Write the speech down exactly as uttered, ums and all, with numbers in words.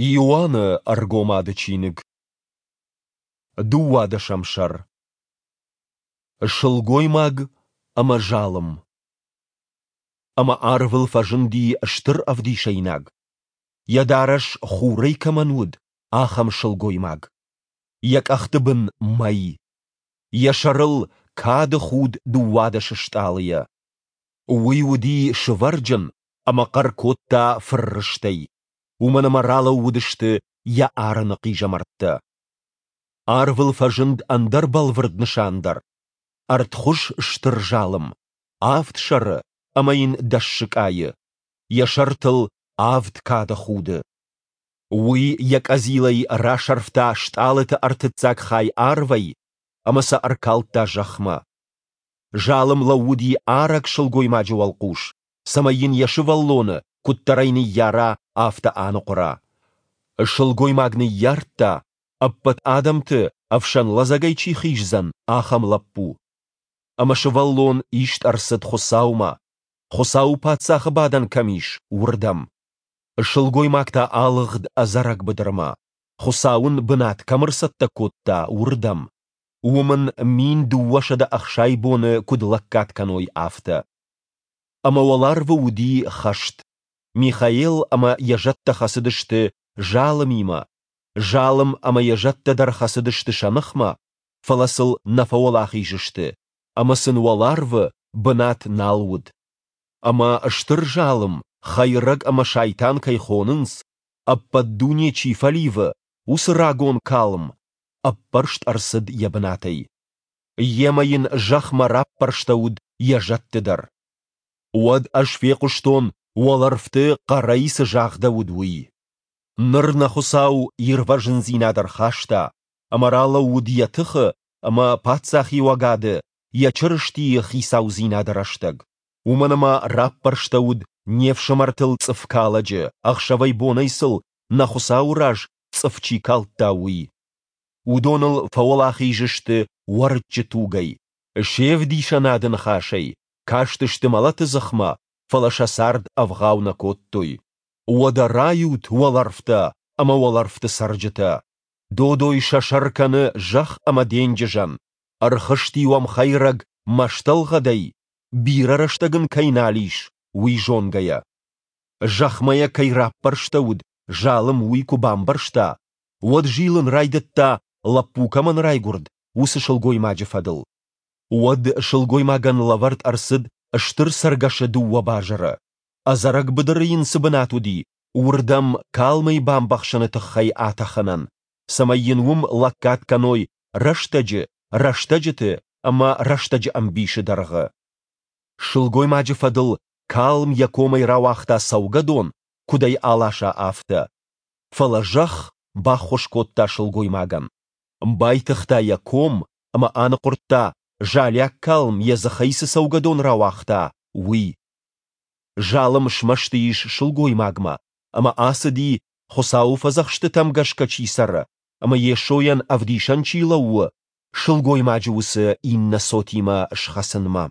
Иоанны Ӕргомады чиныг. Дыууадӕсӕм сӕр. Сылгоймаг ӕмӕ залым. Ӕмӕ арвыл фӕзынди стыр ӕвдисӕйнаг, йӕ дарӕс хурӕй кӕмӕн уыд, ахӕм сылгоймаг. Йӕ къӕхты бын мӕй. Йӕ сӕрыл кады худ дыууадӕс стъалыйӕ. Уый уыди сывӕрджын ӕмӕ хъӕр кодта фыррыстӕй, уымӕн ӕмӕ ралӕууыдысты йӕ арыны хъизӕмӕрттӕ. Арвыл фӕзынд ӕндӕр бӕлвырд нысан дӕр: ӕртхуыз стыр залым, авд сӕры ӕмӕ йын дӕс сыкъайы, йӕ сӕртыл авд кады худы. Уый йӕ къӕдзилӕй расӕрфта стъалыты ӕртыццаг хай арвӕй ӕмӕ сӕ ӕркалдта зӕхмӕ. Залым лӕууыди арӕг сылгоймаджы уӕлхъус, цӕмӕй йын йӕ сывӕллоны, куыддӕр ӕй ныййара, афтӕ аныхъуыра. Сылгоймаг ныййардта, ӕппӕт адӕмты ӕфсӕн лӕдзӕгӕй чи хиздзӕн, ахӕм лӕппу. Ӕмӕ сывӕллон ист ӕрцыд Хуыцаумӕ, Хуыцауы паддзахы бадӕн кӕм ис, уырдӕм. Сылгоймаг та алыгъд ӕдзӕрӕг быдырмӕ, Хуыцау ын бынат кӕм ӕрцӕттӕ кодта, уырдӕм, уым ын мин дыууӕсӕдӕ ӕхсай боны куыд лӕггад кӕной, афтӕ. Ӕмӕ уӕларвы уыди хӕст. Михаил ӕмӕ йӕ зӕдтӕ хӕцыдысты залымимӕ, залым ӕмӕ йӕ зӕдтӕ дӕр хӕцыдысты сӕ ныхмӕ, фӕлӕ сыл нӕ фӕуӕлахиз сты, ӕмӕ сын уӕларвы бынат нал уыд. Ӕмӕ стыр залым, хӕйрӕг ӕмӕ сайтан кӕй хонынц, ӕппӕт дуне чи фӕливы, уыцы рагон калм, ӕппӕрст ӕрцыд йӕ бынатӕй. Йемӕ йын зӕхмӕ раппӕрстӕуыд йӕ зӕдты дӕр. Уӕд ӕз фехъуыстон, уӕлӕрвты хъӕрӕй цы загъдӕуыд, уый. Ныр нӕ Хуыцау ирвӕзындзинад ӕрхаста, ӕмӕ ралӕууыд йӕ тыхы ӕмӕ паддзахиуӕгады, йӕ Чырыстийы хицаудзинады рӕстӕг. Уымӕн ӕмӕ раппӕрстӕуыд не фсымӕртыл цъыфкалӕджы, ӕхсӕвӕй-бонӕй сыл нӕ Хуыцауы раз цъыф чи калдта, уый. Уыдоныл фӕуӕлахиз сты уӕрыччы тугӕй, се вдисӕнады ныхасӕй, кастысты мӕлӕты дзыхмӕ, фӕлӕ сӕ цард ӕвгъау нӕ кодтой. Уӕдӕ райут, уӕлӕрвтӕ ӕмӕ уӕлӕрвты цӕрджытӕ! Додой сӕ сӕр кӕны зӕхх ӕмӕ денджызӕн, ӕрхызти уӕм хӕйрӕг мӕстӕлгъӕдӕй, бирӕ рӕстӕг ын кӕй нал ис, уый зонгӕйӕ. Зӕхмӕ йӕ кӕй раппӕрстӕуыд, залым уый куы бамбӕрста, уӕд зилын райдыдта, лӕппу кӕмӕн райгуырд, уыцы сылгоймаджы фӕдыл. Уӕд сылгоймагӕн лӕвӕрд ӕрцыд стыр цӕргӕсы дыууӕ базыры, ӕдзӕрӕг быдыры йын цы бынат уыди, уырдӕм калмӕй бамбӕхсыны тыххӕй атӕхынӕн, цӕмӕй йын уым лӕггад кӕной рӕстӕджы, рӕстӕджыты ӕмӕ рӕстӕджы ӕмбисы дӕргъы. Сылгоймаджы фӕдыл калм йӕ комӕй рауагъта цӕугӕдон, куыд ӕй аласа, афтӕ. Фӕлӕ зӕхх баххуыс кодта сылгоймагӕн. Байтыгъта йӕ ком ӕмӕ аныхъуырдта, залиаг калм йӕ дзыхӕй цы цӕугӕдон рауагъта, уый. Залым смӕсты ис сылгоймагмӕ ӕмӕ ацыди, Хуыцауы фӕдзӕхстытӕм гӕсгӕ чи цӕры ӕмӕ Йесойӕн ӕвдисӕн чи лӕууы, сылгоймаджы уыцы иннӕ цотимӕ схӕцынмӕ.